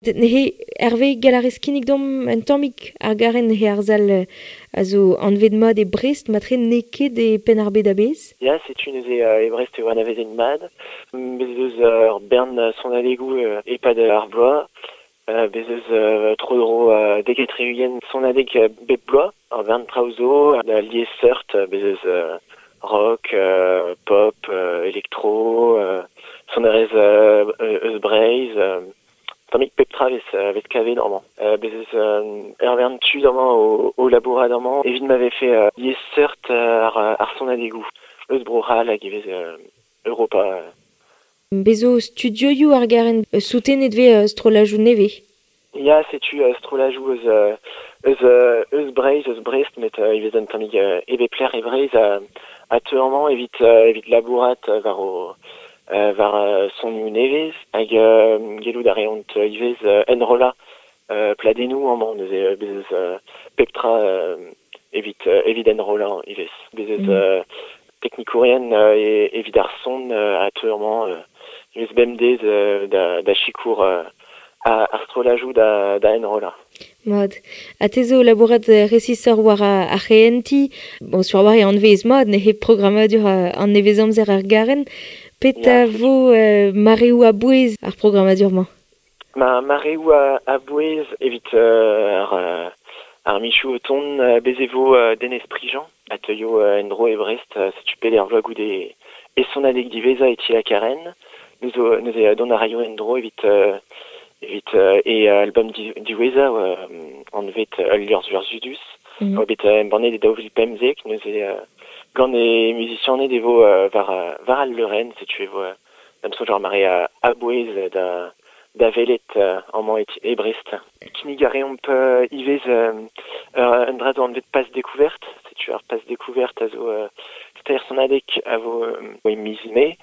Nehe Hervé galarez kinnig dom un tammig ar garen he ar zal a zo anvet mad e Brest, matre n'eo ket e penn ar bed a-bezh. Ya, setu neuze e Brest e oa anavezet mad. Bez eus ur bern sonadegoù e-pad ar bloaz. Bez eus tro-dro dek-ha-tri-ugent sonadeg bep bloaz. Ur bern traoù zo, da liesseurt, bez eus rock, pop, elektro, sonerezh eus Breizh, tammig pep tra vez kavet amañ. Bez eus ur bern tud amañ o labourat amañ evit ma vefe liesseurt ar sonadegoù eus Bro-C'hall hag ivez Europa. Bez zo studioioù ar garen soutenet vez strollajoù nevez. Ya, setu strollajoù eus Breizh, eus Brest, met ivez un tammig e bep lec'h e Breizh a teu amañ evit labourat war o war sonioù nevez hag gellout a reont ivez enrollañ pladennoù amañ neuze bez eus pep tra evit enrollañ ivez. Bez eus teknikourien evit ar son a teu amañ ivez bemdez da sikour ar strollajoù da enrollañ. Mat. Ha te zo labourat resisoc'h war ar c'hehentiñ. Bon, sur war e anvez mat, neuze programmadur an nevezamzer ar garen. Pet a vo mareoù a-bouez ar programmadur-mañ? Ma mareoù a-bouez evit ar michoù o tont bez e vo Denez Prigent a teuio en-dro e Brest setu peder vloaz goude e sonadeg diwezhañ e ti la Karen. Neuze dont a raio en-dro evit e album diwezhañ anvet Ul liorzh vurzhudus. Oa bet embannet e 2015, neuze gant e musicianed e vo war al leurenn, setu e vo da'm soñj ar mare a-bouez da welet amañ e Brest. Kinnig a reomp ivez un dra zo anvet Pass Découverte, setu ar Pass Découverte a zo teir sonadeg a vo e miz Mae.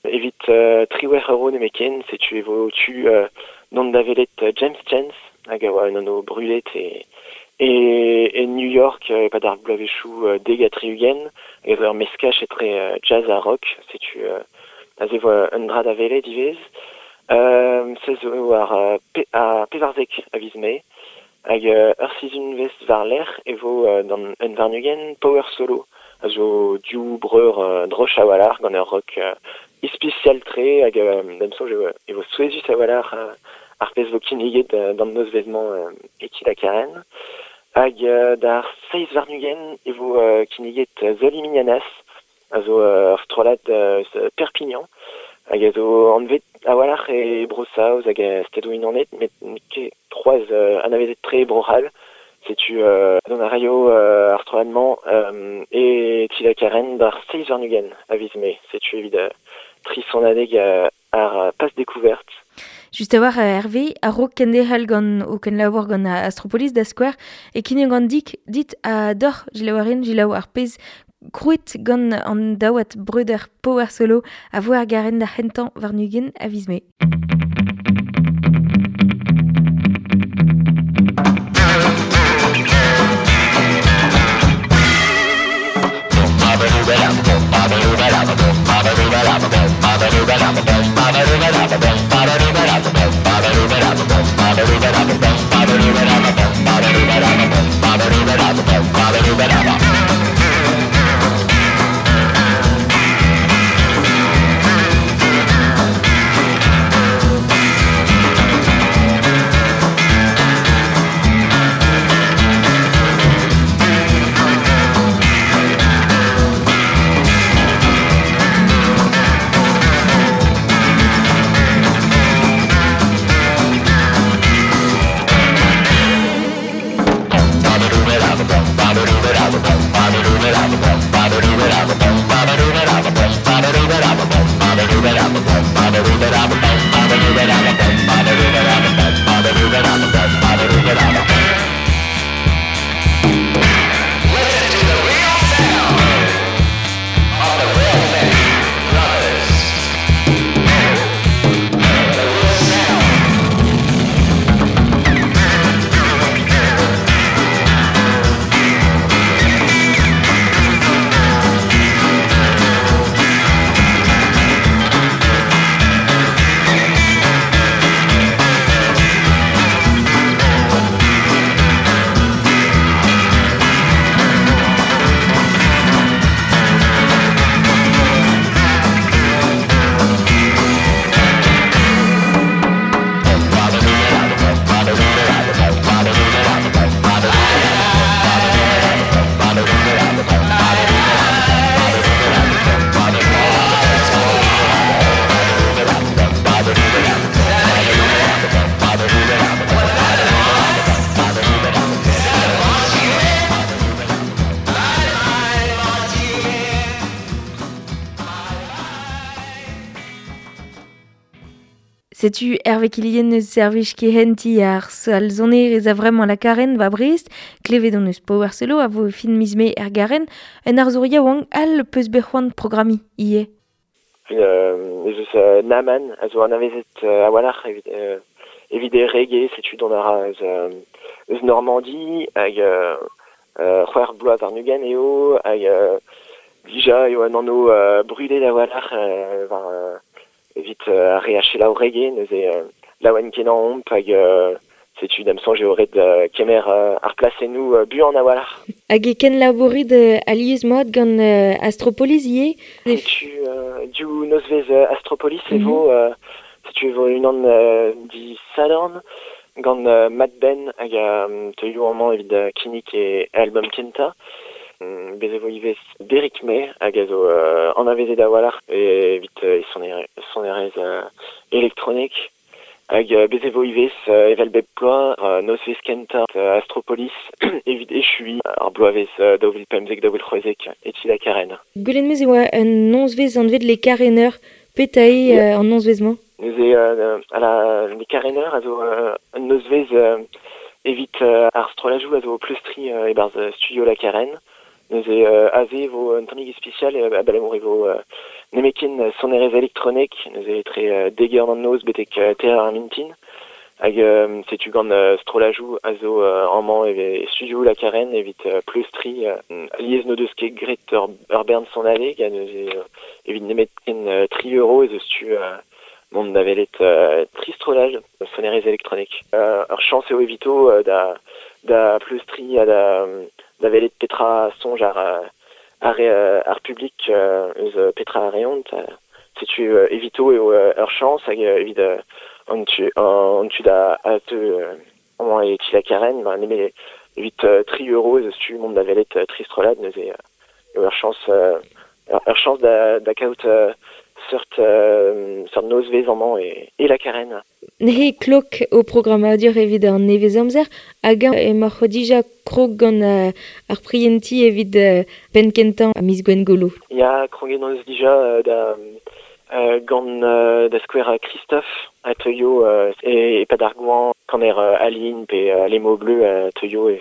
Evit 18 euro nemetken, setu e vo tu dont da welet James Chance, hag a oa un anv brudet e New York e-pad ar bloavezhioù 70, hag a zo ur meskaj etre jazz ha rock, setu aze vo un dra da welet ivez. Se zo ar 14 a viz Mae, hag ur sizhunvezh war-lerc'h e vo d'an un warn-ugent Power Solo, a zo div breur droch a-walc'h gant ur rock ispisial-tre hag da'm soñj e vo souezhus a-walc'h ar pezh vo kinniget d'an nozvezh-mañ e ti la Karen. Hag d'ar 27 e vo kinniget Zoli Mignanas, a zo ur strollad eus Perpignan, hag a zo anvet a-walc'h e Bro-Saoz hag Stadoù-Unanet, met n'eo ket c'hoazh anavezet-tre e Bro-C'hall. Setu dont a raio ar strollad-mañ e ti la Karen d'ar 27 a viz Mae. Setu evit tri sonadeg ar Pass Découverte. Just a-walc'h Hervé, a-raok kenderc'hel gant o kenlabour gant Astropolis da skouer, e kinnig gant dik dit a doc'h jilaouarin jilaou ar pezh krouet gant an daouad breuder Power Solo a vo ar garen da c'hentañ warn-ugent a viz Mae. Setu Hervé Quillien eus servij kehentiñ ar sal sonerezh a vremañ la Karen ba Brest, klevet hon eus Power Solo a vo fin miz Mae er Garen, un arzour yaouank all peus bet c'hoant programmiñ ivez. Ez eus Naman a zo anavezet a-walc'h evit e reggae, setu dont a ra eus Normandie hag c'hwec'h bloaz warn-ugent eo hag dija eo un anv brudet a-walc'h war evit ar re a selaou reggae, neuze laouen kenañ omp hag setu da'm soñj eo ret kemer ar plasennoù buan a-walc'h. Hag e kenlabourit alies mat gant Astropolis ivez? Setu div nozvezh Astropolis e vo, setu e vo unan disadorn gant Matt Ben hag teuio amañ evit kinnig e album kentañ. Bez e vo ivez Derrick May hag a zo anavezet a-walc'h evit e sonerezh elektronek. Hag bez e vo ivez evel bep bloaz nozvezh kentañ Astropolis evit echuiñ ar bloavezh 2015-2016 e ti la Karen. Gwelet 'm eus e oa un nozvezh anvet Les Caréneurs. Petra eo an nozvezh-mañ? Neuze Les Caréneurs a zo un nozvezh evit ar strollajoù a zo pleustriñ e-barzh studio La Carène. Neuze aze e vo un tammig ispisial abalamour e vo nemetken sonerezh elektronek, neuze etre dek eur d'an noz betek teir ar mintin. Hag setu gant strollajoù a zo amañ e studio La Carène evit pleustriñ alies n'o deus ket graet ur bern sonadeg ha neuze evit nemetken 3 € ez eus tu mont da welet tri strollaj sonerezh elektronek. Ur chañs eo evito da pleustriñ ha da welet petra soñj ar publik eus petra a reont. Setu evito eo ur chañs hag evit an tu da a teu amañ e ti la Carène, ma nemet evit 3 € ez eus tu mont da welet tri strollad, neuze eo ur chañs da kaout seurt nozvezh amañ e la Carène. Neuze klok ho programmadur evit an nevez-amzer hag emaoc'h dija krog gant ar prientiñ evit penn kentañ miz Gwengolo. Ya, kroget hon eus dija da gant da skouer Christophe a teuio e-pad ar goañv kaner Aline pe Les Mots Bleus a teuio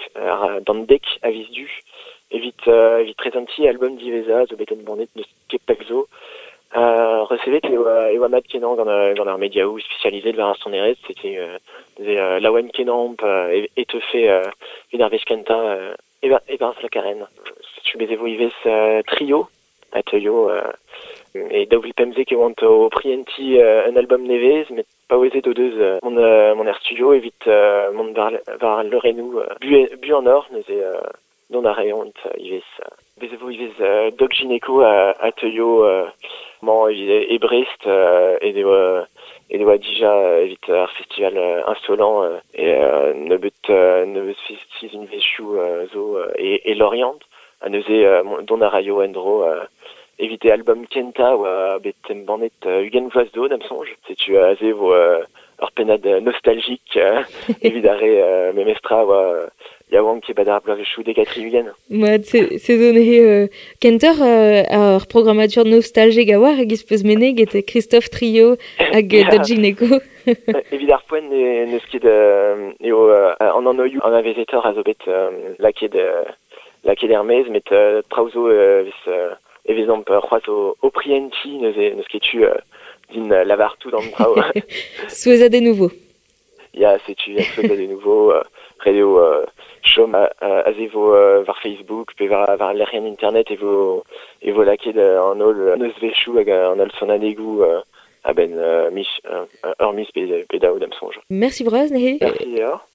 d'an 10 a viz Du evit prezentiñ album diwezhañ zo bet embannet n'eus ket pell zo. Resevet e oa mat kenañ gant ar mediaoù spesializet war ar sonerezh, c'était laouen kenañ e teufe evit ar wech kentañ e-barzh la Carène. Setu bez e vo ivez Trio a teuio e 2015 e oant o prientiñ un album nevez, met paouezet o deus mont er studio evit mont war al leurennoù buanoc'h, neuze dont a reont ivez. Bez e vo ivez Doc Gynéco a teuio mañ e Brest e oa dija evit ar festival Insolent e nebeut sizhunvezhioù zo e Lorient. Ha neuze dont a raio en-dro evit e album kentañ oa bet embannet 20 vloaz zo da'm soñj. Setu aze vo ur pennad nostalgique evit ar re memestra oa yaouank e-pad ar bloavezhioù 70. Mat, se zo neuze kentoc'h ar programmadur nostalgique a oar hag peus meneget Christophe Trio hag Doc Gynéco. Evit ar poent n'eus ket eo an anvioù anavezetoc'h a zo bet lakaet er-maez, met traoù zo e vezomp c'hoazh o prientiñ, neuze n'eus ket tu din lavar tout an traoù. Souezhadennoù vo. Ya, setu, ya, souezhadennoù vo, ret eo chom aze vo war Facebook pe war lec'hienn internet e vo lakaet an holl nozvezhioù hag an holl sonadegoù a-benn ur miz pe daou da'm soñj. Mersi bras neuze. Mersi deoc'h.